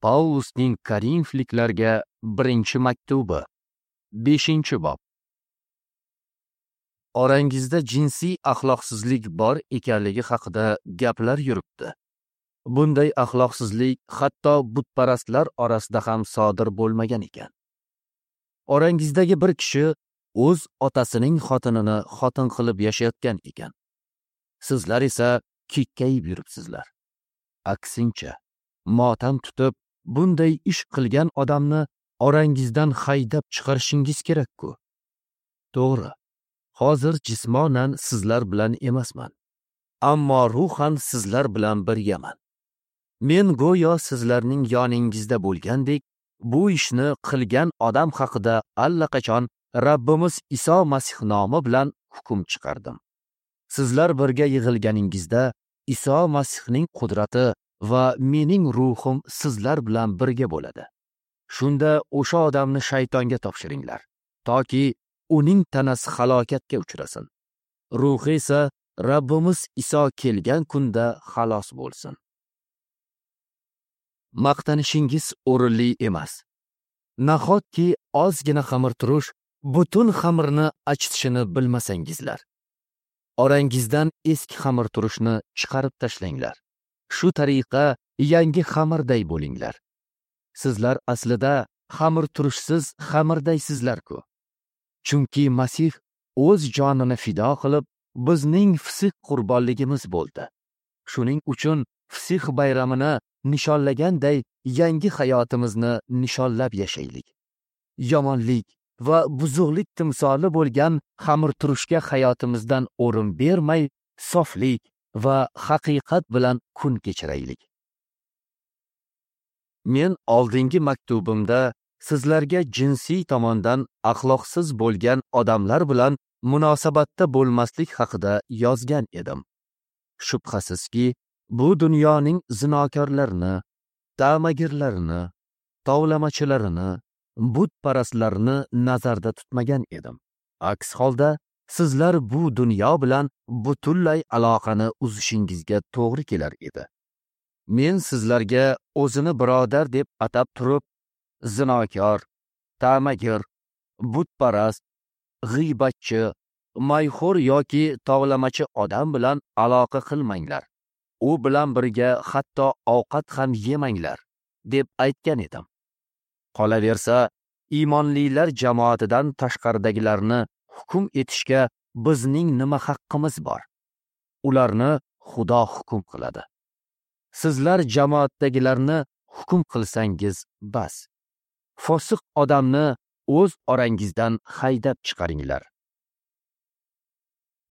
Pavlusning Korinfliklarga birinchi maktubi, 5-bob. Orangizda jinsiy axloqsizlik bor ekanligi haqida gaplar yuribdi. Bunday axloqsizlik hatto butparastlar orasida ham sodir bo'lmagan ekan. Orangizdagi bir kishi o'z otasining xotinini xotin qilib yashayotgan ekan. Sizlar esa kekkayib yuribsizlar. Aksincha, motam tutib, bunday ish qilgan odamni orangizdan haydab chiqarishingiz kerak-ku. To'g'ri, hozir jismonan sizlar bilan emasman, ammo ruhan sizlar bilan birgaman. Men go'yo sizlarning yoningizda bo'lgandek, bu ishni qilgan odam haqida allaqachon Rabbimiz Iso Masih nomi bilan hukm chiqardim. Sizlar birga yig'ilganingizda Iso Masihning qudrati va mening ruhim sizlar bilan birga bo'ladi. Shunda o'sha odamni shaytonga topshiringlar, toki uning tanasi halokatga uchrasin. Ruhi esa Rabbimiz Iso kelgan kunda xalos bo'lsin. Maqtanishingiz o'rinli emas. Nahotki ozgina xamirturush butun xamirni achitishini bilmasangizlar. Orangizdan eski xamirturushni chiqarib tashlanglar. Shu tariqa yangi xamirday bo'linglar. Sizlar aslida xamirturushsiz xamirdaysizlar-ku. Chunki Masih o'z jonini fido qilib, bizning fisq qurbonligimiz bo'ldi. Shuning uchun fisq bayramini nishonlaganday yangi hayotimizni nishonlab yashaylik. Yomonlik va buzuqlik timsoli bo'lgan xamirturushga hayotimizdan o'rin bermay, soflik va haqiqat bilan kun kechiraylik. Men oldingi maktubimda sizlarga jinsiy tomondan axloqsiz bo'lgan odamlar bilan munosabatda bo'lmaslik haqida yozgan edim. Shubhasizki, bu dunyoning zinokorlarini, ta'magirlarini, tovlamachilarini, butparastlarni nazarda tutmagan edim. Aks holda sizlar bu dunyo bilan butunlay aloqani uzishingizga to'g'ri kelar edi. Men sizlarga o'zini birodar deb atab turib, zinokor, ta'magir, butparast, g'iybatchi, mayxo'r yoki tovlamachi odam bilan aloqa qilmanglar. U bilan birga hatto ovqat ham yemanglar, deb aytgan edim. Qolaversa, iymonlilar jamoatidan tashqaridagilarni hukm etishga bizning nima haqqimiz bor? Ularni Xudo hukm qiladi. Sizlar jamoatdagilarni hukm qilsangiz bas. Fosiq odamni o'z orangizdan haydab chiqaringlar.